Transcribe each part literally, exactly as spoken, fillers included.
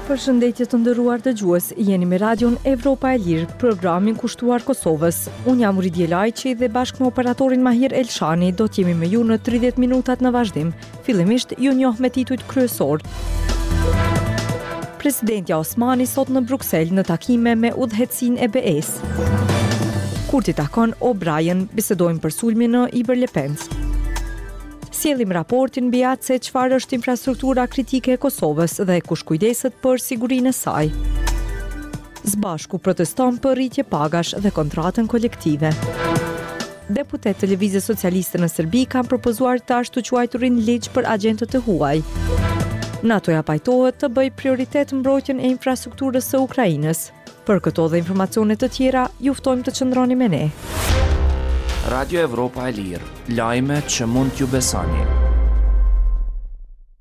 Përshëndetje të nderuar dëgjues, jeni me Radion Evropa e Lirë, programin kushtuar Kosovës. Unë jam Uridje Lajçi dhe bashkë me operatorin Mahir Elshani do t'jemi me ju në tridhjetë minutat në vazhdim. Fillimisht ju njoh me titujt kryesor. Presidentja Osmani sot në Bruksel në takime me udhëheqësinë e B E-së. Kurti takon O'Brien, bisedojnë për sulmin në Ibër-Lepenc. Sjellim raportin mbi atë se çfarë është infrastruktura kritike e Kosovës dhe kush kujdeset për sigurinë e saj. Zbashku proteston për rritje pagash dhe kontratën kolektive. Deputetë të Lëvizjes Socialiste në Serbi kanë propozuar të ashtu quajturin ligj për agjentët e huaj. NATO-ja pajtohet të bëjë prioritet mbrojtjen e infrastrukturës së Ukrainës. Për këto dhe informacione të tjera, ju ftojmë të qëndroni me ne. Radio Evropa e Lirë, lajme që mund t'ju besoni.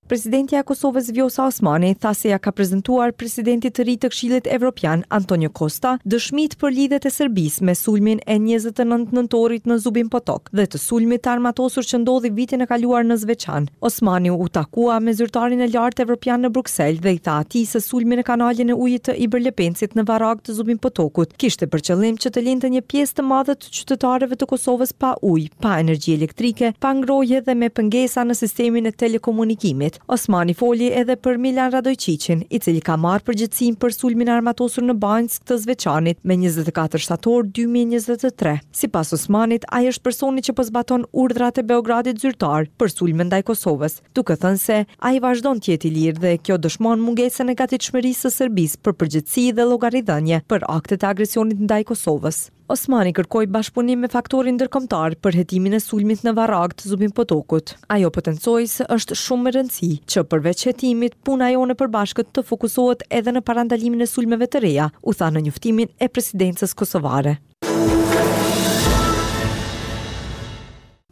Presidentja e Kosovës Vjosa Osmani tha se ja ka prezentuar presidentit të ri të Këshillit Evropian Antonio Costa dëshmitë për lidhjet e Serbisë me sulmin e njëzet e nëntë nëntorit në Zubin Potok dhe të sulmit të armatosur që ndodhi vitin e kaluar në Zveçan. Osmani u takua me zyrtarin e lartë evropian në Bruksel dhe i tha atij se sulmi në kanalin e ujit të Ibër-Lepencit në Varag të Zubin Potokut kishte për qëllim që të linte një pjesë të madhe të qytetarëve të Kosovës pa ujë, pa energji elektrike, pa ngrohje dhe me pengesa në sistemin e telekomunikimit. Osmani foli edhe për Milan Radojčićin, i cili ka marrë përgjegjësinë për sulmin e armatosur në Banjskë të Zveçanit me njëzet e katër shtator dy mijë e njëzet e tre. Sipas Osmanit, ai është personi që po zbaton urdhrat e Beogradit zyrtar për sulmin ndaj Kosovës, duke thënë se ai vazhdon të jetë i lirë dhe kjo dëshmon mungesën e gatishmërisë së Serbisë për përgjegjësi dhe llogaridhënie për aktet e agresionit ndaj Kosovës. Osmani kërkoi bashkëpunim me faktorin ndërkombëtar për hetimin e sulmit në Varag të Zubin Potokut. Ajo potencoi se është shumë me rëndësi që përveç hetimit, puna jonë e përbashkët të fokusohet edhe në parandalimin e sulmeve të reja, u tha në njoftimin e presidencës kosovare.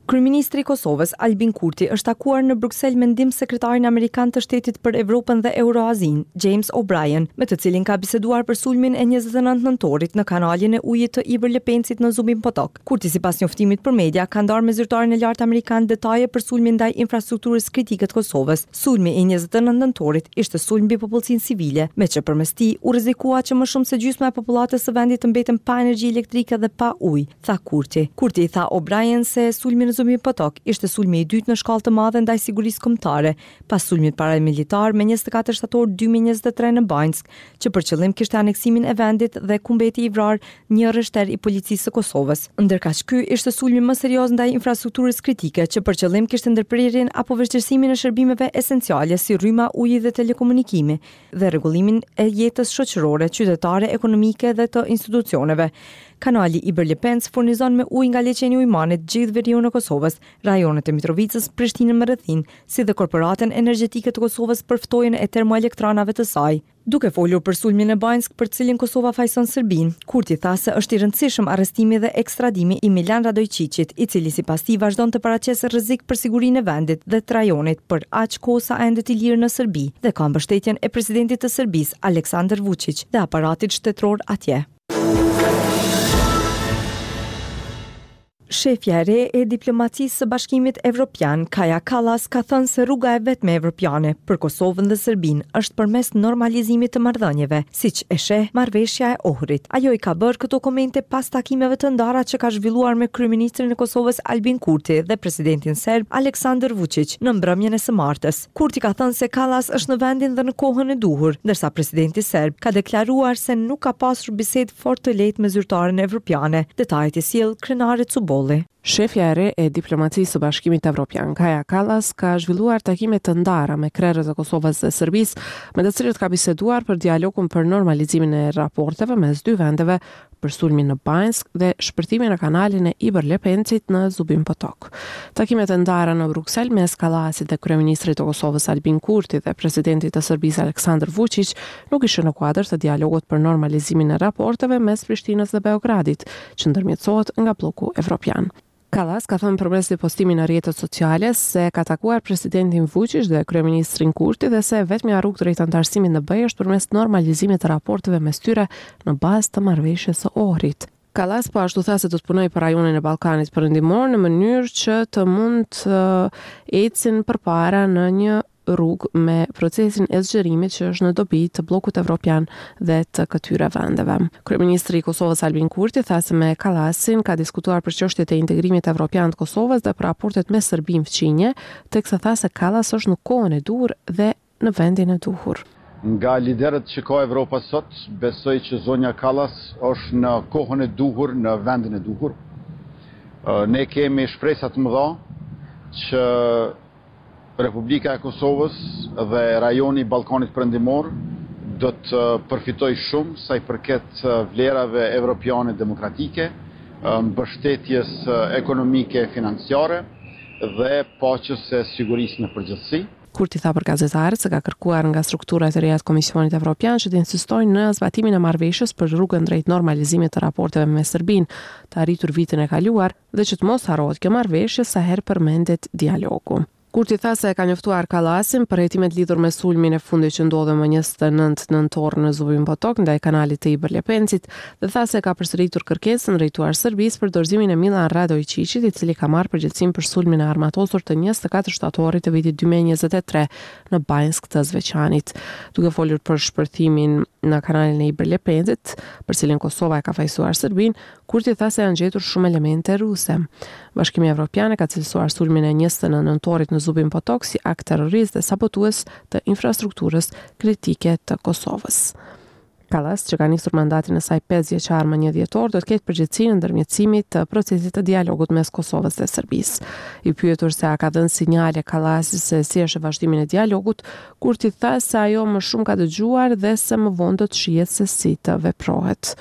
Kryeministri i Kosovës, Albin Kurti, është takuar në Bruksel me ndihmë sekretarin amerikan të shtetit për Evropën dhe Euroazinë, James O'Brien, me të cilin ka biseduar për sulmin e njëzet e nëntë nëntorit në kanalin e ujit të Ibër-Lepencit në Zubin Potok. Kurti, sipas njoftimit për media, ka ndarë me zyrtarin e lartë amerikan detaje për sulmin ndaj infrastrukturës kritike të Kosovës. Sulmi i njëzet e nëntë nëntorit ishte sulm mbi popullsinë civile, me që përmes tij u rrezikua që më shumë se gjysma e popullatës së vendit të mbeten pa energji elektrike dhe pa ujë, tha Kurti. Kurti i tha O'Brien se sulmi në Zubin Potok ishte sulmi i dytë në shkallë të madhe ndaj sigurisë kombëtare, pas sulmit paramilitar me njëzet e katër shtator dy mijë e njëzet e tre në Banjskë, që për qëllim kishte aneksimin e vendit dhe ku mbeti i vrarë një rreshter i policisë së Kosovës. Ndërkaq ky ishte sulmi më serioz ndaj infrastrukturës kritike, që për qëllim kishte ndërprerjen apo vështirësimin e shërbimeve esenciale si rryma, uji dhe telekomunikimi dhe rregullimin e jetës shoqërore, qytetare, ekonomike dhe të institucioneve. Kanali Ibër-Lepenc furnizon me ujë nga liqeni i Ujmanit gjithë veriun e Kosovës, rajonet e Mitrovicës, Prishtinën me rrethinë, si dhe Korporatën Energjetike të Kosovës për ftohjen e termoelektranave të saj. Duke folur për sulmin në Banjskë për cilin Kosova fajson Serbinë, Kurti tha se është i rëndësishëm arrestimi dhe ekstradimi i Milan Radojčićit, i cili sipas tij vazhdon të paraqesë rrezik për sigurinë e vendit dhe të rajonit për aq kohë sa endet i lirë në Serbi dhe ka mbështetjen e presidentit të Serbisë, Aleksandar Vučić, dhe aparatit shtetëror atje. Shefja e re e diplomacisë së Bashkimit Evropian, Kaja Kallas, ka thënë se rruga e vetme evropiane për Kosovën dhe Serbinë është përmes normalizimit të marrëdhënieve, siç e sheh marrëveshja e Ohrit. Ajo i ka bërë këto komente pas takimeve të ndara që ka zhvilluar me kryeministrin e Kosovës Albin Kurti dhe presidentin serb Aleksandar Vučić në mbrëmjen e së martës. Kurti ka thënë se Kallas është në vendin dhe në kohën e duhur, ndërsa presidenti serb ka deklaruar se nuk ka pasur bisedë fort të lehtë me zyrtaren evropiane. Detajet i sjell Krenare Cubolli. Shefja e re e diplomacisë së Bashkimit Evropian, Kaja Kallas, ka zhvilluar takime të ndara me krerët e Kosovës dhe Serbisë, me të cilët ka biseduar për dialogun për normalizimin e raporteve mes dy vendeve, për sulmin në Banjskë dhe shpërthimin në kanalin e Ibër-Lepencit në Zubin Potok. Takimet e ndara në Bruksel mes Kallasit dhe kryeministrit të Kosovës Albin Kurti dhe presidentit të Serbisë Aleksandar Vučić nuk ishin në kuadër të dialogut për normalizimin e raporteve mes Prishtinës dhe Beogradit, që ndërmjetësohet nga blloku evropian. Kallas ka thënë përmes një postimi në rrjetet sociale se ka takuar presidentin Vučić dhe kryeministrin Kurti dhe se vetmja rrugë drejt anëtarësimit në B E është përmes normalizimit të raporteve mes tyre në bazë të marrëveshjes së Ohrit. Kallas po ashtu tha se do të punojë për rajonin e Ballkanit Perëndimor në mënyrë që të mund të ecin përpara në një rrugë me procesin e zgjerimit që është në dobi të bllokut evropian dhe të këtyre vendeve. Kryeministri i Kosovës Albin Kurti tha se me Kallasin ka diskutuar për çështjet e integrimit evropian të Kosovës dhe për raportet me Serbinë fqinje, teksa tha se Kallas është në kohën e duhur dhe në vendin e duhur. Nga liderët që ka Evropa sot, besoj që zonja Kallas është në kohën e duhur, në vendin e duhur. Ne kemi shpresa të mëdha që Republika e Kosovës dhe rajoni i Ballkanit Perëndimor do të përfitojë shumë sa i përket vlerave evropiane demokratike, mbështetjes ekonomike e financiare dhe paqes e sigurisë në përgjithësi. Kurti tha për gazetarët se ka kërkuar nga strukturat e reja të Komisionit Evropian që të insistojnë në zbatimin e marrëveshjes për rrugën drejt normalizimit të raporteve me Serbinë, të arritur vitin e kaluar, dhe që të mos harrohet kjo marrëveshje sa herë përmendet dialogu. Kurti tha se e ka njoftuar Kallasin për hetimet lidhur me sulmin e fundit që ndodhi më njëzet e nëntë nëntor në Zubin Potok ndaj kanalit të Ibër Lepencit dhe tha se ka përsëritur kërkesën drejtuar Serbisë për dorëzimin e Milan Radoiçiqit, i cili ka marrë përgjegjësinë për sulmin e armatosur të njëzet e katër shtatorit të vitit dy mijë e njëzet e tre në Banjskë të Zveçanit. Duke folur për shpërthimin në kanalin e Ibër Lepencit, për cilin Kosova e ka fajësuar Serbinë, Kurti tha se janë gjetur shumë elemente ruse. Bashkimi Evropian e ka cilësuar sulmin e njëzet e nëntë nëntorit në Zubin Potok si akt terrorist dhe sabotues të infrastrukturës kritike të Kosovës. Kallas, që ka nisur mandatin e saj pesë vjeçar më një dhjetor, do të ketë përgjegjësinë e ndërmjetësimit të procesit të dialogut mes Kosovës dhe Serbisë. I pyetur se a ka dhënë sinjale Kallasi se si është vazhdimin e dialogut, Kurti tha se ajo më shumë ka dëgjuar dhe se më vonë do të shihet se si të veprohet.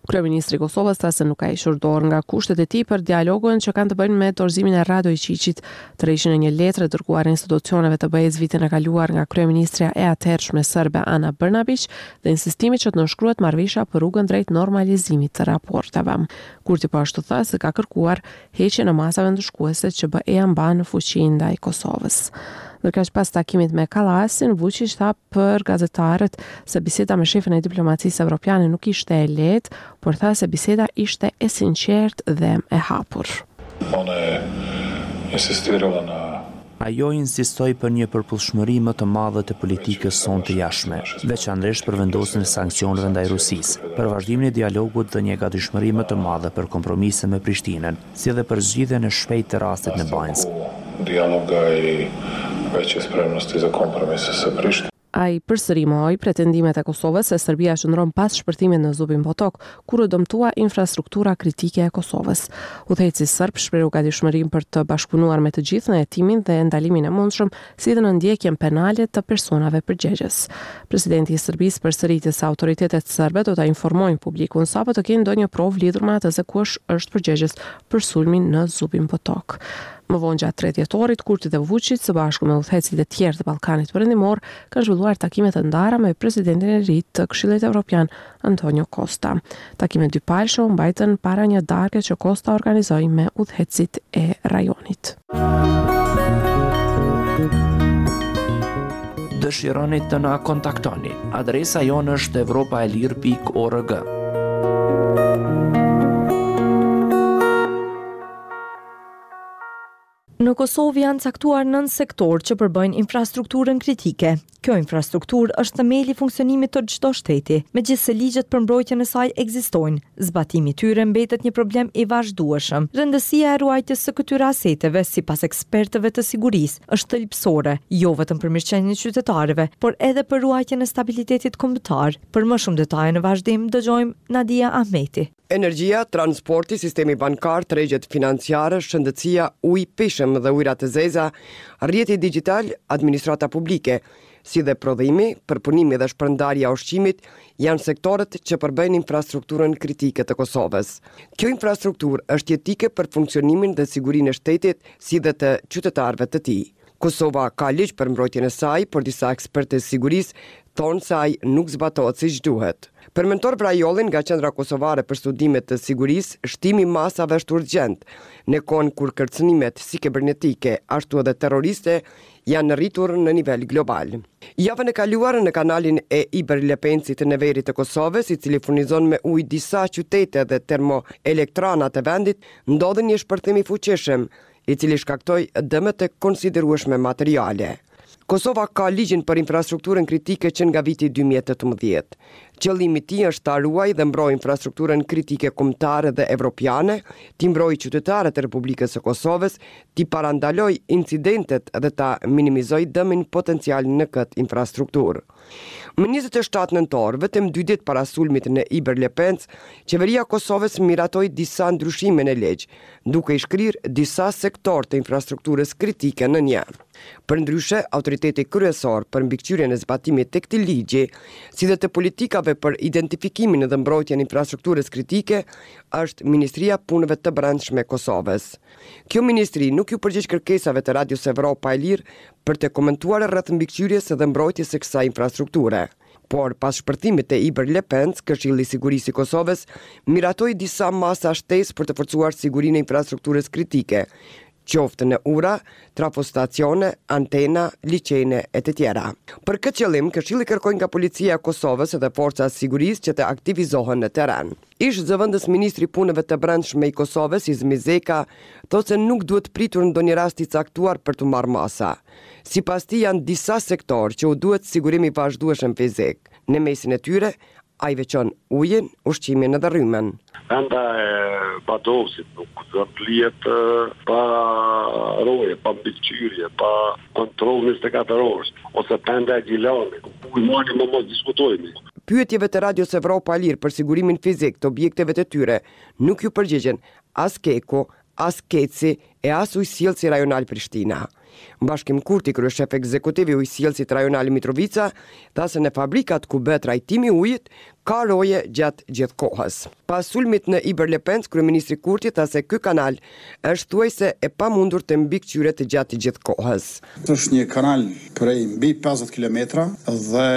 Kryeministri i Kosovës tha se nuk ka hequr dorë nga kushtet e tij për dialogun që kanë të bëjnë me dorëzimin e Radoiçiqit, tërheqjen e një letre dërguar institucioneve të B E-s vitin e kaluar nga kryeministrja e atëhershme serbe Ana Brnabić dhe insistimi që të nënshkruhet marrëveshja për rrugën drejt normalizimit të raporteve. Kurti po ashtu tha se ka kërkuar heqjen e masave ndëshkuese që B E-ja mban në fuqi ndaj Kosovës. Ndërkaq pas takimit me Kallasin, Vučić tha për gazetarët se biseda me shefin e diplomacisë evropiane nuk ishte e lehtë, por tha se biseda ishte e sinqertë dhe e hapur. Ona je insistirala na Ajo insistoi për një përputhshmëri më të madhe të politikës sonë të jashtme, veçanërisht për vendosjen e sanksioneve ndaj Rusisë, për vazhdimin e dialogut dhe një gatishmëri më të madhe për kompromise me Prishtinën, si dhe për zgjidhjen e shpejtë të rastit në Banjskë. Dijaloga i veće spremnosti za kompromise sa Prishtinom. Ai përsëri mohoi pretendimet e Kosovës se Serbia qëndron pas shpërthimit në Zubin Potok, kur u dëmtua infrastruktura kritike e Kosovës. Udhëheqësi serb shprehu gatishmërinë për të bashkëpunuar me të gjithë në hetimin dhe ndalimin e mundshëm, si dhe në ndjekjen penale të personave përgjegjës. Presidenti i Serbisë përsëriti se autoritetet serbe do ta informojnë publikun sapo të kenë ndonjë provë lidhur me atë se kush është përgjegjës për sulmin në Zubin Potok. Më vonë gjatë tre dhjetorit, Kurti dhe Vučić, së bashku me udhëheqësit e tjerë të Ballkanit Perëndimor, kanë zhvilluar takime të ndara me presidentin e ri të Këshillit Evropian, Antonio Costa. Takimet dypalëshe u mbajtën para një darke që Costa organizoi me udhëheqësit e rajonit. Dëshironi të na kontaktoni? Adresa jonë është evropa e lirë pikë org. Në Kosovë janë caktuar nëntë sektorë që përbëjnë infrastrukturën kritike. Kjo infrastrukturë është themeli i funksionimit të çdo shteti, megjithëse ligjet për mbrojtjen e saj ekzistojnë. Zbatimi i tyre mbetet një problem i vazhdueshëm. Rëndësia e ruajtjes së këtyre aseteve, sipas ekspertëve të sigurisë, është thelbësore, jo vetëm për mirëqenien e qytetarëve, por edhe për ruajtjen e stabilitetit kombëtar. Për më shumë detaje në vazhdim dëgjojmë Nadia Ahmeti. Energjia, transporti, sistemi bankar, tregjet financiare, shëndetësia, uji pishëm dhe ujërat e zeza, rrjeti digital, administrata publike, si dhe prodhimi, përpunimi dhe shpërndarja e ushqimit janë sektorët që përbëjnë infrastrukturën kritike të Kosovës. Kjo infrastrukturë është jetike për funksionimin dhe sigurinë e shtetit, si dhe të qytetarëve të tij. Kosova ka ligj për mbrojtjen e saj, por disa ekspertë të sigurisë thonë se ai nuk zbatohet siç duhet. Për Mentor Vrajollin nga Qendra Kosovare për Studime të Sigurisë, shtimi i masave është urgjent, në kohën kur kërcënimet si kibernetike ashtu edhe terroriste janë rritur në nivel global. Javën e kaluar në kanalin e Ibër Lepencit në veri të Kosovës, i cili furnizon me ujë disa qytete dhe termoelektranat e vendit, ndodhi një shpërthim i fuqishëm, i cili shkaktoi dëme të konsiderueshme materiale. Kosova ka ligjin për infrastrukturën kritike që nga viti dy mijë e tetëmbëdhjetë. Qëllimi i tij është ta ruajë dhe mbrojë infrastrukturën kritike kombëtare dhe evropiane, t'i mbrojë qytetarët e Republikës së Kosovës, t'i parandalojë incidentet dhe ta minimizojë dëmin potencial në këtë infrastrukturë. Më njëzet e shtatë nëntor, vetëm dy ditë para sulmit në Ibër Lepenc, Qeveria e Kosovës miratoi disa ndryshime në ligj, duke i shkrirë disa sektorë të infrastrukturës kritike në një. Përndryshe, autoriteti kryesor për mbikëqyrjen e zbatimit të këtij ligji, si dhe të politikave për identifikimin dhe mbrojtjen e infrastrukturës kritike, është Ministria e Punëve të Brendshme e Kosovës. Kjo ministri nuk iu përgjigj kërkesave të Radios Evropa e Lirë për të komentuar rreth mbikëqyrjes dhe mbrojtjes së kësaj infrastrukture. Por, pas shpërthimit të Ibër Lepenc, Këshilli i Sigurisë i Kosovës miratoi disa masa shtesë për të forcuar sigurinë e infrastrukturës kritike, qoftë në ura, trafostacione, antena, liqene e të tjera. Për këtë qëllim, Këshilli kërkoi nga Policia e Kosovës dhe Forca e Sigurisë që të aktivizohen në terren. Ish zëvendës ministri i Punëve të Brendshme i Kosovës, Izmi Zeka, thotë se nuk duhet pritur ndonjë rast i caktuar për të marrë masa. Sipas tij janë disa sektorë që u duhet sigurim i vazhdueshëm fizik. Në mesin e tyre, ai veçon ujin, ushqimin dhe rrymën. Penda e Badovcit nuk do të lihet pa roje, pa mbikëqyrje, pa kontroll njëzet e katër orë, ose penda e Gjilanit, Ujmani më mos diskutojmë. Pyetjeve të Radios Evropa e Lirë për sigurimin fizik të objekteve të tyre nuk ju përgjigjen as Keku, as Keci e as Ujësjellësi Rajonal Prishtina. Bashkim Kurti, kryeshef ekzekutiv i Ujësjellësit Rajonal Mitrovica, tha se në fabrikat ku bëhet trajtimi i ujit ka roje gjatë gjithë kohës. Pas sulmit në Ibër Lepenc, kryeministri Kurti tha se ky kanal është thuajse e pamundur të mbikëqyret gjatë gjithë kohës. Është një kanal prej mbi pesëdhjetë kilometra dhe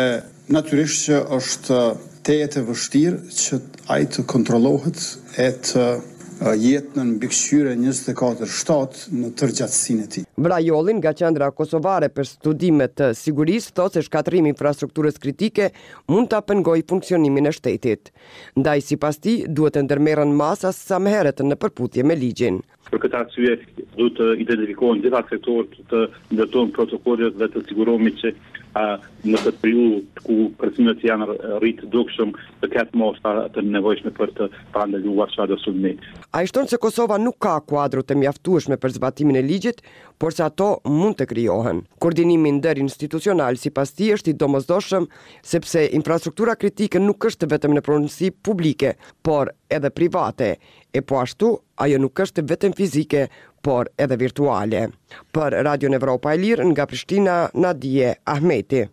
natyrisht që është tejet e vështirë që ai të kontrollohet e të jetë në mbikëqyrje njëzet e katër shtatë në tërë gjatësinë e tij. Vrajolli nga Qendra Kosovare për Studime të Sigurisë thotë se shkatërrimi i infrastrukturës kritike mund ta pengojë funksionimin e shtetit. Ndaj sipas tij duhet të ndërmerren masa sa më herët në përputhje me ligjin. Për këtë arsye duhet të identifikohen gjitha sektorët, të ndërtohen protokollet dhe të sigurohemi që a, në këtë periudhë ku kërcënimet janë rritë dukshëm, të ketë masa të nevojshme për të parandaluar çfarëdo sulmi. Ai shton se Kosova nuk ka kuadro të mjaftueshme për zbatimin e ligjit, por se ato mund të krijohen. Koordinimi ndërinstitucional sipas tij është i domosdoshëm sepse infrastruktura kritike nuk është vetëm në pronësi publike, por edhe private, e po ashtu ajo nuk është vetëm fizike, por edhe virtuale. Për Radion Evropa e Lirë nga Prishtina, Nadie Ahmeti.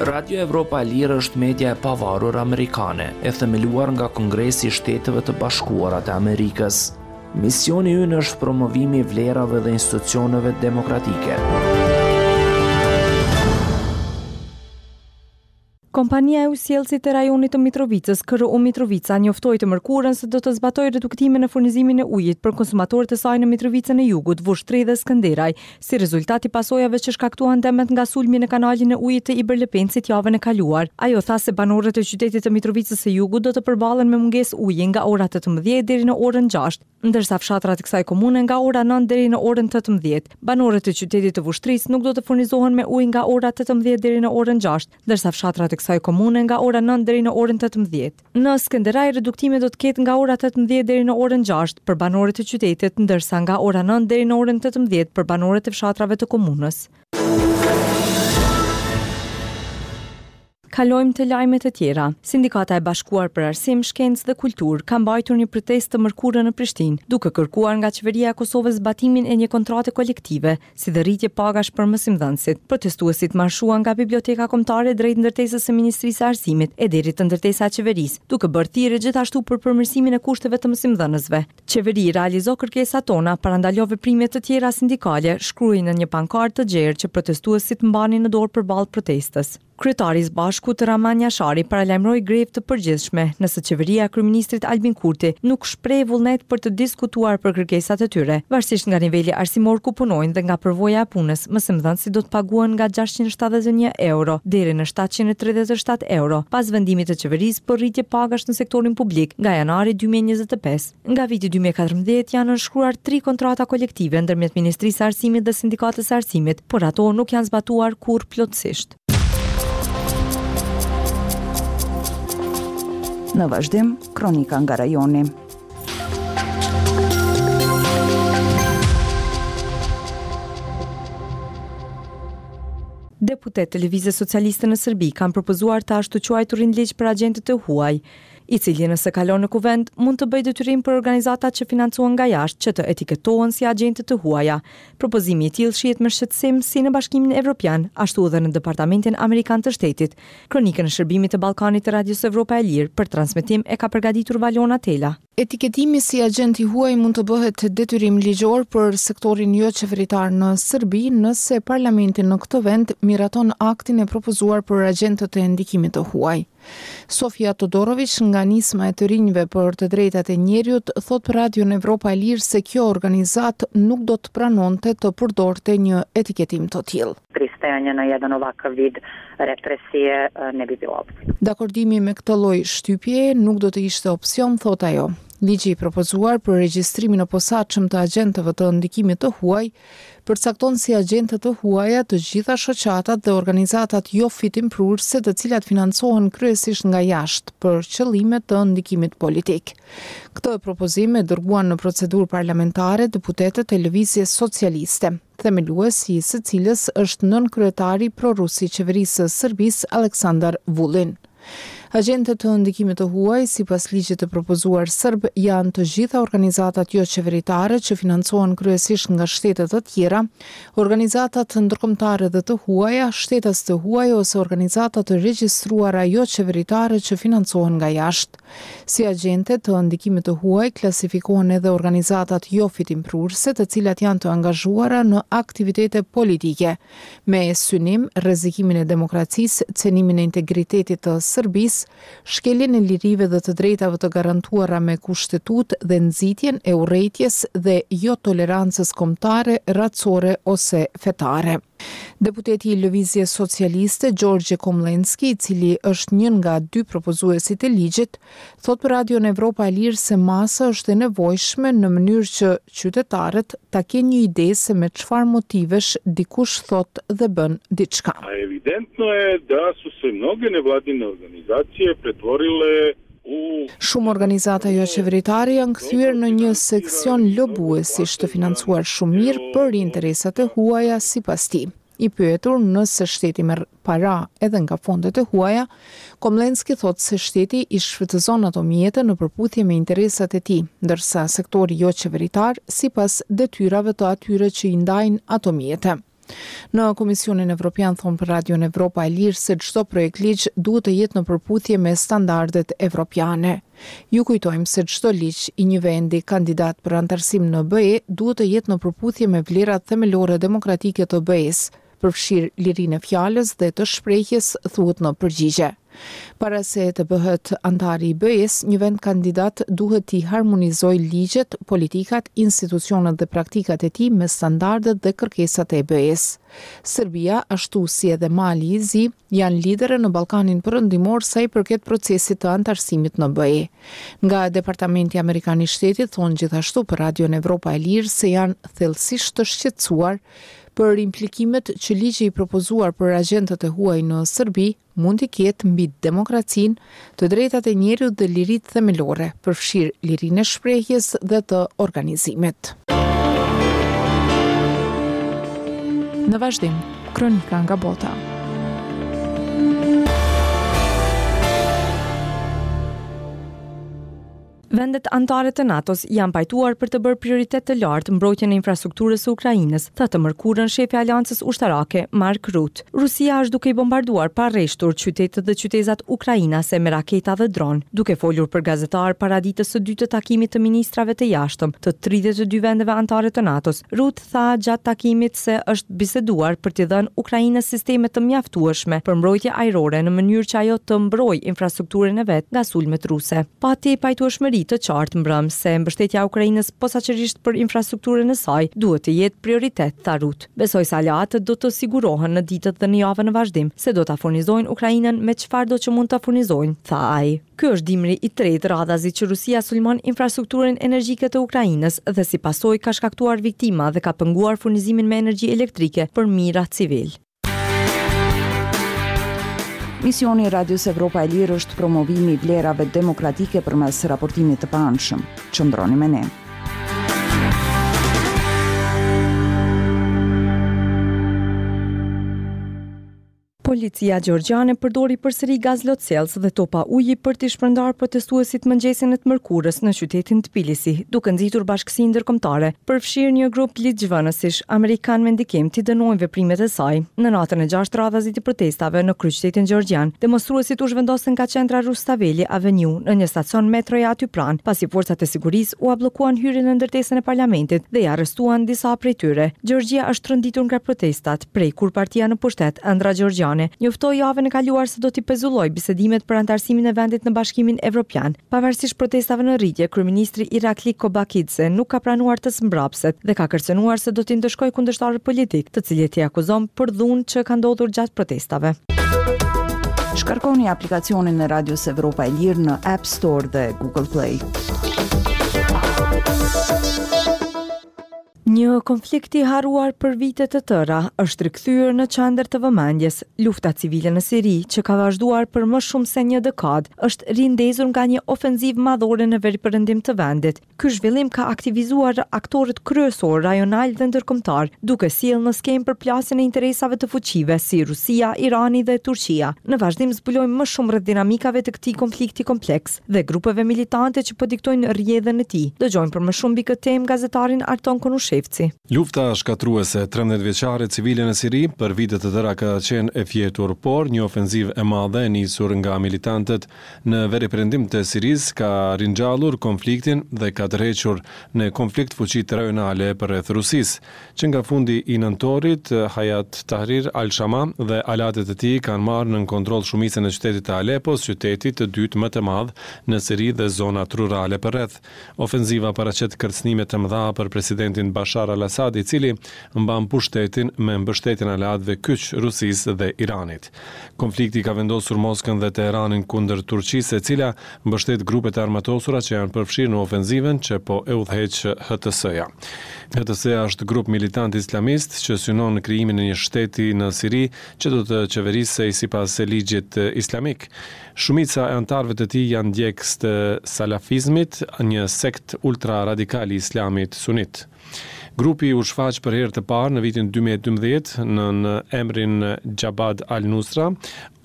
Radio Evropa e Lirë është media e pavarur amerikane, e themeluar nga Kongresi i Shteteve të Bashkuara të Amerikës. Misioni ynë është promovimi i vlerave dhe institucioneve demokratike. Kompania e ujësjellësit të rajonit të Mitrovicës, K R U Mitrovica, njoftoi të mërkurën se do të zbatojë reduktimin në furnizimin e ujit për konsumatorët e saj në Mitrovicën e Jugut, Vushtrri dhe Skënderaj, si rezultat i pasojave që shkaktuan dëmet nga sulmi në kanalin e ujit të Ibër Lepencit javën e kaluar. Ajo tha se banorët e qytetit të Mitrovicës së Jugut do të përballen me mungesë uji nga ora tetëmbëdhjetë deri në orën gjashtë, ndërsa fshatrat e kësaj komune nga ora nëntë deri në orën tetëmbëdhjetë. Banorët e qytetit të Vushtrrisë nuk do të furnizohen me ujë nga ora tetëmbëdhjetë deri në orën gjashtë, ndërsa fshatrat e kësaj komune nga ora nëntë deri në orën tetëmbëdhjetë. Në Skënderaj reduktimi do të ketë nga ora tetëmbëdhjetë deri në orën gjashtë për banorët e qytetit, ndërsa nga ora nëntë deri në orën tetëmbëdhjetë për banorët e fshatrave të komunës. Kalojmë të lajmet e tjera. Sindikata e Bashkuar për Arsim, Shkencë dhe Kulturë ka mbajtur një protestë të mërkurën në Prishtinë, duke kërkuar nga qeveria e Kosovës zbatimin e një kontrate kolektive, si dhe rritje pagash për mësimdhënësit. Protestuesit marshuan nga Biblioteka Kombëtare drejt ndërtesës së Ministrisë së Arsimit e deri te ndërtesa e qeverisë, duke bërë thirrje gjithashtu për përmirësimin e kushteve të mësimdhënësve. Qeveri realizo kërkesat tona, parandalo veprime të tjera sindikale, shkruaj në një pankartë të gjerë që protestuesit mbanin në dorë përballë protestës. Kryetari i Zbashkut, Bashkut Rrahman Jashari paralajmëroi grevë të përgjithshme nëse qeveria e kryeministrit Albin Kurti nuk shpreh vullnet për të diskutuar për kërkesat e tyre. Varësisht nga niveli arsimor ku punojnë dhe nga përvoja e punës, mësimdhënësit do të paguhen nga gjashtëqind e shtatëdhjetë e një euro deri në shtatëqind e tridhjetë e shtatë euro, pas vendimit të qeverisë për rritje pagash në sektorin publik nga janari dy mijë e njëzet e pesë. Nga viti dy mijë e katërmbëdhjetë janë nënshkruar tri kontrata kolektive ndërmjet Ministrisë së Arsimit dhe Sindikatës së Arsimit, por ato nuk janë zbatuar kurrë plotësisht. Në vazhdim, kronika nga rajoni. Deputet të Lëvizjes Socialiste në Serbi kanë propozuar të ashtuquajturin ligj për agjentët e huaj, i cili nëse kalon në kuvend mund të bëjë detyrim për organizatat që financohen nga jashtë që të etiketohen si agjente të huaja. Propozimi i tillë shihet me shqetësim si në Bashkimin Evropian, ashtu edhe në Departamentin Amerikan të Shtetit. Kronikën e shërbimit të Ballkanit të Radios Evropa e Lirë për transmetim e ka përgatitur Valona Tela. Etiketimi si agjent i huaj mund të bëhet detyrim ligjor për sektorin jo qeveritar në Serbi nëse parlamenti në këtë vend miraton aktin e propozuar për agjentët e ndikimit të huaj. Sofia Todorović nga Nisma e të rinjve për të drejtat e njeriut thot për Radion Evropa e Lirë se kjo organizatë nuk do të pranonte të përdorte një etiketim të tillë. Pristajanje na jedan ovakav vid represije ne bi bilo opcija. Dakordimi me këtë lloj shtypjeje nuk do të ishte opsion, thot ajo. Ligji i propozuar për regjistrimin e posaçëm të agjentëve të ndikimit të huaj përcakton si agjentët të huaja të gjitha shoqatat dhe organizatat jo fitimprurëse të cilat financohen kryesisht nga jashtë për qëllime të ndikimit politik. Këtë propozim e dërguan në procedurë parlamentare deputetët e Lëvizjes Socialiste, themelues i së cilës është nënkryetari prorus i qeverisë së Serbisë Aleksandar Vulin. Agjentët të ndikimit të huaj, sipas ligjit të propozuar serb, janë të gjitha organizatat jo qeveritare që financohen kryesisht nga shtete të tjera, organizatat ndërkombëtare dhe të huaja, shtetas të huaj ose organizata të regjistruara jo qeveritare që financohen nga jashtë. Si agjente të ndikimit të huaj klasifikohen edhe organizatat jo fitimprurëse, të cilat janë të angazhuara në aktivitete politike, me synim rrezikimin e demokracisë, cenimin e integritetit të Serbisë, shkeljen e lirive dhe të drejtave të garantuara me kushtetut dhe nxitjen e urrejtjes dhe jo tolerancës kombëtare, racore ose fetare. Deputeti i Lëvizjes Socialiste Gjorgje Komlenski, i cili është një nga dy propozuesit e ligjit, thot për Radion Evropa e Lirë se masa është e nevojshme në mënyrë që qytetarët ta kenë një ide se me çfarë motivesh dikush thot dhe bën diçka. A evidentno je da su se mnoge nevladine organizacije pretvorile Shumë organizata jo qeveritare janë kthyer në një seksion lobuesish të financuar shumë mirë për interesat e huaja sipas tij. I pyetur nëse shteti merr para edhe nga fondet e huaja, Komlenski thotë se shteti i shfrytëzon ato mjete në përputhje me interesat e tij, ndërsa sektori jo qeveritar sipas detyrave të atyre që i ndajnë ato mjete. Në Komisionin Evropian thonë për Radion Evropa e Lirë se çdo projekt ligj duhet të jetë në përputhje me standardet evropiane. Ju kujtojmë se çdo ligj i një vendi kandidat për anëtarësim në B E duhet të jetë në përputhje me vlerat themelore demokratike të B E-s, përfshirë lirinë e fjalës dhe të shprehjes, thuhet në përgjigje. Para se të bëhet anëtari i B E-s, një vend kandidat duhet t'i harmonizojë ligjet, politikat, institucionet dhe praktikat e tij me standardet dhe kërkesat e B E-s. Serbia, ashtu si edhe Mali i Zi, janë lidere në Ballkanin Perëndimor sa i përket procesit të anëtarësimit në B E. Nga Departamenti Amerikan i Shtetit thonë gjithashtu për Radion Evropa e Lirë se janë thellësisht të shqetësuar për implikimet që ligji i propozuar për agjentët e huaj në Serbi mund t'i ketë mbi demokracinë, të drejtat e njeriut dhe liritë themelore, përfshirë lirinë e shprehjes dhe të organizimit. Në vazhdim, kronika nga bota. Vendet anëtare të NATO-s janë pajtuar për të bërë prioritet të lartë mbrojtjen e infrastrukturës së Ukrainës, tha të mërkurën shefi i aleancës ushtarake Mark Rutte. Rusia është duke i bombarduar pa rreshtur qytetet dhe qytezat ukrainase me raketa dhe dron, duke folur për gazetar para ditës së dytë të takimit të ministrave të jashtëm të tridhjetë e dy vendeve anëtare të NATO-s. Rutte tha gjatë takimit se është biseduar për t'i dhënë Ukrainës sisteme të mjaftueshme për mbrojtje ajrore në mënyrë që ajo të mbrojë infrastrukturën e vet nga sulmet ruse. Pati pajtueshmëri të qartë mbrëm se mbështetja e Ukrainës posaçërisht për infrastrukturën e saj duhet të jetë prioritet, tha Rutte. Besoj se aleatët do të sigurohen në ditët dhe në javën në vazhdim se do ta furnizojnë Ukrainën me çfarë do që mund ta furnizojnë, tha ai. Ky është dimri i tretë radhazi që Rusia sulmon infrastrukturën energjike të Ukrainës dhe si pasojë ka shkaktuar viktima dhe ka penguar furnizimin me energji elektrike për mijëra civil. Misioni i Radios Evropa e Lirë është promovimi i vlerave demokratike përmes raportimit të paanshëm. Qëndroni me ne. Policia gjeorgjiane përdori përsëri gaz lotsjellës dhe topa uji për t'i shpërndarë protestuesit mëngjesin e të mërkurës në qytetin Tbilisi, duke nxitur bashkësinë ndërkombëtare, përfshirë një grup ligjvënësish amerikan me ndikim t'i dënojnë veprimet e saj. Në natën e gjashtë radhazi të protestave në kryeqytetin gjeorgjian, demonstruesit u zhvendosën nga qendra Rustaveli Avenue në një stacion metroje aty pranë, pasi forcat e sigurisë ua bllokuan hyrjen në ndërtesën e parlamentit dhe i arrestuan disa prej tyre. Gjeorgjia është tronditur nga protestat, prej kur partia në pushtet Ëndra Gjeorgjiane njoftoi javën e kaluar se do t'i pezullojë bisedimet për anëtarësimin e vendit në Bashkimin Evropian. Pavarësisht protestave në rritje, kryeministri Irakli Kobakidze nuk ka pranuar të zmbrapset dhe ka kërcënuar se do t'i ndëshkojë kundërshtarët politik, të cilët i akuzon për dhunë që ka ndodhur gjatë protestave. Shkarkoni aplikacionin e Radios Evropa e Lirë në App Store dhe Google Play. Një konflikt i harruar për vite të tëra është rikthyer në qendër të vëmendjes. Lufta civile në Siri, që ka vazhduar për më shumë se një dekadë, është rindezur nga një ofenzivë madhore në veriperëndim të vendit. Ky zhvillim ka aktivizuar aktorët kryesor rajonal dhe ndërkombëtar, duke sjellë në skemë përplasjen e interesave të fuqive si Rusia, Irani dhe Turqia. Në vazhdim zbulojmë më shumë rreth dinamikave të këtij konflikti kompleks dhe grupeve militante që po diktojnë rrjedhën e tij. Dëgjojmë për më shumë mbi këtë temë gazetarin Arton Konushevci. Lufta shkatruese trembëdhjetë vjeçare civile në Siri për vite të tëra ka qenë e fjetur, por një ofenzivë e madhe e nisur nga militantët në veriperëndim të Sirisë ka ringjallur konfliktin dhe ka tërhequr në konflikt fuqitë rajonale përreth Rusisë. Që nga fundi i nëntorit, Hayat Tahrir al-Shama dhe aleatët e tij kanë marrë nën kontroll shumicën e qytetit të Alepos, qytetit të dytë më të madh në Siri dhe zonat rurale përreth. Ofenziva paraqet kërcënime të mëdha për presidentin Bashar al-Assad, i cili mban pushtetin me mbështetjen e aleatëve kyç Rusisë dhe Iranit. Konflikti ka vendosur Moskën dhe Teheranin kundër Turqisë, e cila mbështet grupet e armatosura që janë përfshirë në ofenzivën që po e udhëheq H T S-ja. H T S-ja është grup militant islamist që synon krijimin e një shteti në Siri që do të qeverisej sipas ligjit islamik. Shumica e anëtarëve të tij janë ndjekës të salafizmit, një sekt ultra-radikal i islamit sunit. Grupi u shfaq për herë të parë në vitin dy mijë e dymbëdhjetë nën emrin Jabhat al-Nusra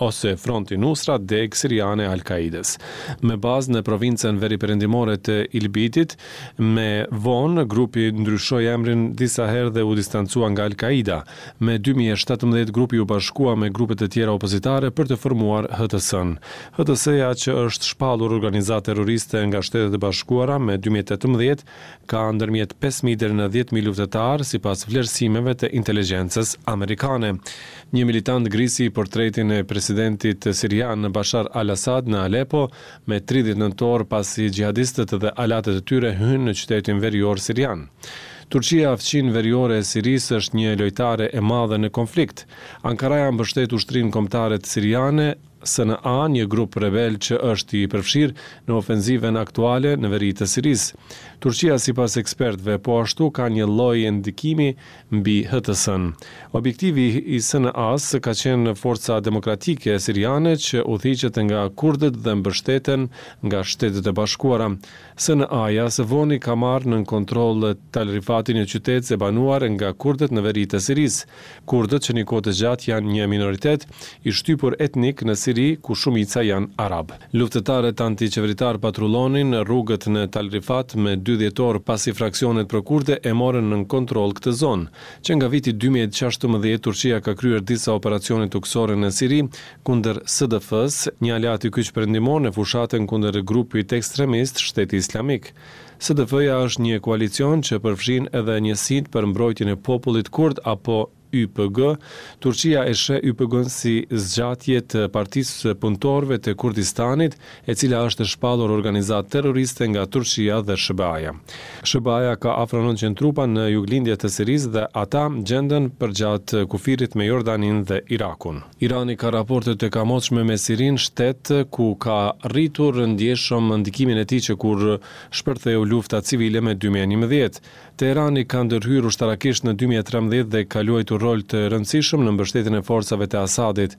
ose Fronti Nusra, degë siriane e Al-Qaidës. Me bazë në provincën veriperëndimore të Idlibit, me vonë grupi ndryshoi emrin disa herë dhe u distancua nga Al-Qaida. Me dy mijë e shtatëmbëdhjetë grupi u bashkua me grupe të tjera opozitare për të formuar H T S-n. H T S-ja, që është shpallur organizatë terroriste nga Shtetet e Bashkuara me dy mijë e tetëmbëdhjetë, ka ndërmjet pesë mijë deri në dhjetë mijë luftëtar sipas vlerësimeve të inteligjencës amerikane. Një militant grisi portretin e presidentit sirian Bashar al-Assad në Aleppo me tridhjetë nëntor pasi xhihadistët dhe aleatët e tyre hynë në qytetin verior sirian. Turqia, fqin veriore e Sirisë, është një lojtare e madhe në konflikt. Ankaraja mbështet ushtrinë kombëtare të siriane, S N A, një grup rebel që është i përfshirë në ofenzivën aktuale në veri të Sirisë. Turqia, sipas ekspertëve, po ashtu ka një lloj ndikimi mbi H T S-n. Objektivi i S N A-s ka qenë forca demokratike siriane që udhëhiqet nga kurdët dhe mbështeten nga Shtetet e Bashkuara. S N A-ja së voni ka marrë nën kontroll Tal Rifatin, një qytet e banuar nga kurdët në veri të Sirisë. Kurdët që një kohë të gjatë janë një minoritet i shtypur etnik në Siri Siri, ku shumica janë arabë. Luftëtarët antiqeveritarë patrullonin rrugët në Tal Rifat më dy dhjetor pasi fraksionet prokurde e morën nën kontroll këtë zonë. Që nga viti dy mijë e gjashtëmbëdhjetë, Turqia ka kryer disa operacione tokësore në Siri kundër S D F-së, një aleat i kyç perëndimor në fushatën kundër grupit ekstremist Shteti Islamik. S D F-ja është një koalicion që përfshin edhe njësitë për mbrojtjen e popullit kurd apo Y P G. Turqia e sheh Y P G-n si zgjatje të Partisë së Punëtorëve të Kurdistanit, e cila është shpallur organizatë terroriste nga Turqia dhe S H B A-ja. S H B A-ja ka afro nëntëqind trupa në juglindje të Sirisë dhe ata gjenden përgjatë kufirit me Jordanin dhe Irakun. Irani ka raporte të kamotshme me Sirinë, shtet ku ka rritur ndjeshëm ndikimin e tij që kur shpërtheu lufta civile me dy mijë e njëmbëdhjetë. Teherani ka ndërhyrë ushtarakisht në dy mijë e trembëdhjetë dhe ka luajtur rol të rëndësishëm në mbështetjen e forcave të Asadit.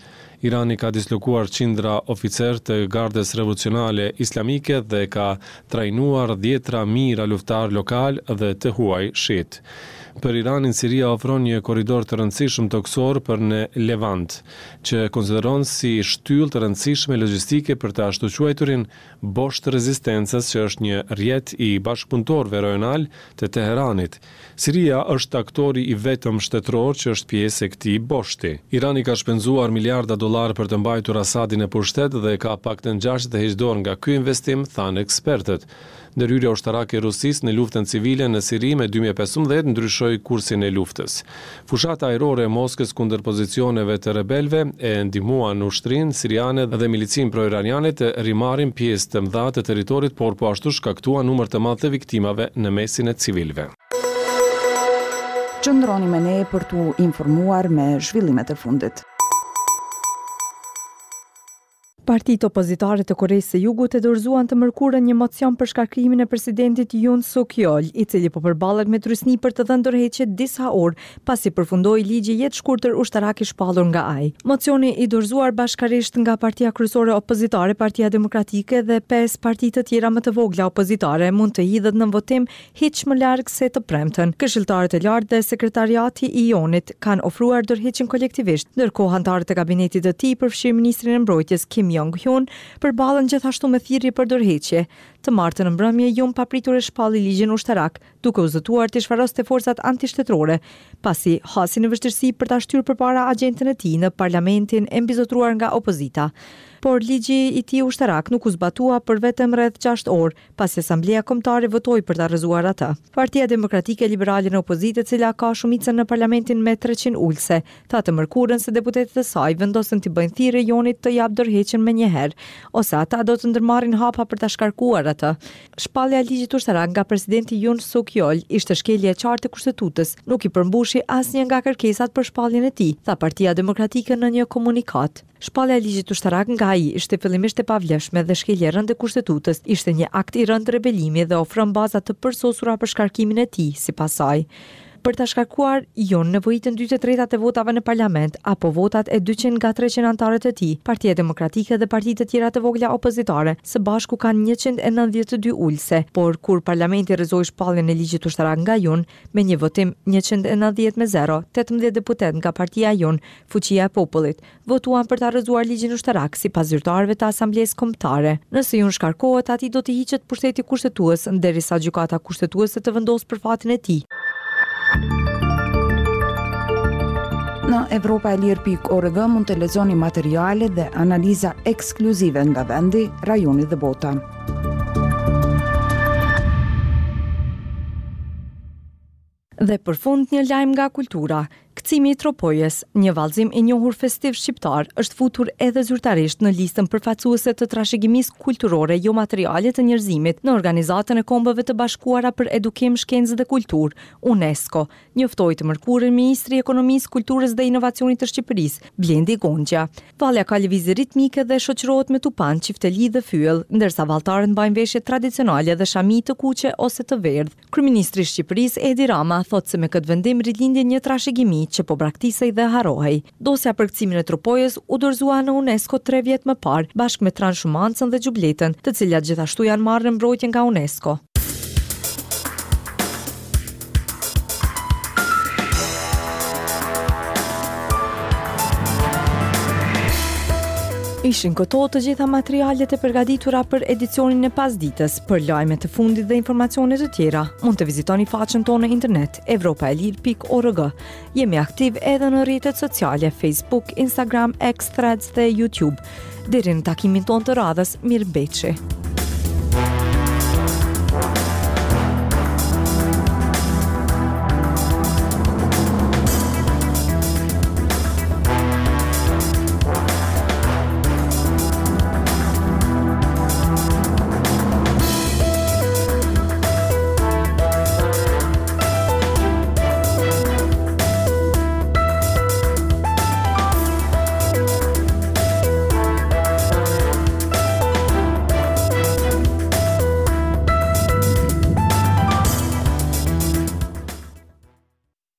Irani ka dislokuar qindra oficerë të Gardës Revolucionale Islamike dhe ka trajnuar dhjetra mijëra luftëtarë lokal dhe të huaj shiit. Për Iranin, Siria ofron një korridor të rëndësishëm tokësor për në Levant, që konsideron si shtyllë të rëndësishme logjistike për të ashtuquajturin bosht të rezistencës, që është një rrjet i bashkëpunëtorëve rajonal të Teheranit. Siria është aktori i vetëm shtetëror që është pjesë e këtij boshti. Irani ka shpenzuar miliarda dollar për të mbajtur Asadin në pushtet dhe ka pak të ngjarë të heqë dorë nga ky investim, thanë ekspertët. Ndërhyrja ushtarake e Rusisë në luftën civile në Siri me dy mijë e pesëmbëdhjetë ndryshoi kursin e luftës. Fushata ajrore e Moskës kundër pozicioneve të rebelëve e ndihmuan ushtrinë siriane dhe milicinë pro-iraniane të rimarrin pjesë të mëdha të territorit, por po ashtu shkaktuan numër të madh të viktimave në mesin e civilëve. Qëndroni me ne për t'u informuar me zhvillimet e fundit. Partitë opozitare të Koresë së Jugut e dorëzuan të mërkurën një mocion për shkarkimin e presidentit Yoon Suk Yeol, i cili po përballet me trysni për të dhënë dorëheqje disa orë pasi përfundoi ligji jetëshkurtër ushtarak i shpallur nga ai. Mocioni i dorëzuar bashkarisht nga partia kryesore opozitare, Partia Demokratike, dhe pesë parti të tjera më të vogla opozitare mund të hidhet në votim hiç më larg se të premten. Këshilltarët e lartë dhe sekretariati i Yoonit kanë ofruar dorëheqjen kolektivisht, ndërkohë anëtarët e kabinetit të tij, përfshirë ministrin e mbrojtjes Kim Jong-hyun, përballen gjithashtu me thirrje për dorëheqje. Të martën në mbrëmje, Yoon papritur e shpalli ligjin ushtarak, duke u zotuar të shfaroste forcat antishtetërore, pasi hasi në vështirësi për ta shtyrë përpara agjendën e tij në parlamentin e mbizotëruar nga opozita. Por ligji i tij ushtarak nuk u zbatua për vetëm rreth gjashtë orë, pasi Asambleja Kombëtare votoi për ta rrëzuar atë. Partia Demokratike Liberale në opozitë, e cila ka shumicën në parlamentin me treqind ulse, tha të mërkurën se deputetët e saj vendosën t'i bëjnë thirrje Yoonit të japë dorëheqjen menjëherë, ose ata do të ndërmarrin hapa për ta shkarkuar atë. Shpallja e ligjit ushtarak nga presidenti Yoon Suk Yeol ishte shkelje e qartë e kushtetutës, nuk i përmbushi asnjë nga kërkesat për shpalljen e tij, tha Partia Demokratike në një komunikatë. Shpallja e ligjit ushtarak nga ai ishte fillimisht e pavlefshme dhe shkelje e rëndë e kushtetutës, ishte një akt i rëndë rebelimi dhe ofron baza të përsosura për shkarkimin e tij, sipas saj. Për ta shkarkuar Yoon nevojiten dy të tretat e votave në parlament apo votat e dyqind nga treqind anëtarët e tij. Partia Demokratike dhe partitë e tjera të vogla opozitare së bashku kanë njëqind e nëntëdhjetë e dy ulse, por kur parlamenti rrëzoi shpalljen e ligjit ushtarak nga Yoon me një votim njëqind e nëntëdhjetë me zero, tetëmbëdhjetë deputet nga partia Yoon, Fuqia e Popullit, votuan për ta rrëzuar ligjin ushtarak, sipas zyrtarëve të Asamblesë Kombëtare. Nëse Yoon shkarkohet, atij do t'i hiqet pushteti kushtetues derisa gjykata kushtetuese të vendosë për fatin e tij. Në evropaelire pikë org mund të lexoni materiale dhe analiza ekskluzive nga vendi, rajoni dhe bota. Dhe për fund një lajm nga kultura. Kërcimi i Tropojës, një vallëzim i njohur festiv shqiptar, është futur edhe zyrtarisht në listën përfaqësuese të trashëgimisë kulturore jo materiale të njerëzimit në Organizatën e Kombeve të Bashkuara për Edukim, Shkencë dhe Kulturë, UNESCO, njoftoi të mërkurën Ministri i Ekonomisë, Kulturës dhe Inovacionit të Shqipërisë, Blendi Gonxhja. Vallja ka lëvizje ritmike dhe shoqërohet me tupan, çifteli dhe fyell, ndërsa valltarët mbajnë veshje tradicionale dhe shami të kuqe ose të verdhë. Kryeministri i Shqipërisë Edi Rama thotë se me këtë vendim rilindi një trashëgimi që po braktisej dhe harrohej. Dosja për kërcimin e Tropojës u dorëzua në UNESCO tre vjet më parë, bashkë me Transhumancën dhe Xhubletën, të cilat gjithashtu janë marrë në mbrojtje nga UNESCO. Ishin këto të gjitha materialet e përgatitura për edicionin e pasditës. Për lajme të fundit dhe informacione të tjera, mund të vizitoni faqen tonë në internet evropaelire pikë org. Jemi aktiv edhe në rrjetet sociale Facebook, Instagram, X, Threads dhe YouTube. Deri në takimin tonë të radhës, mirë mbeçi.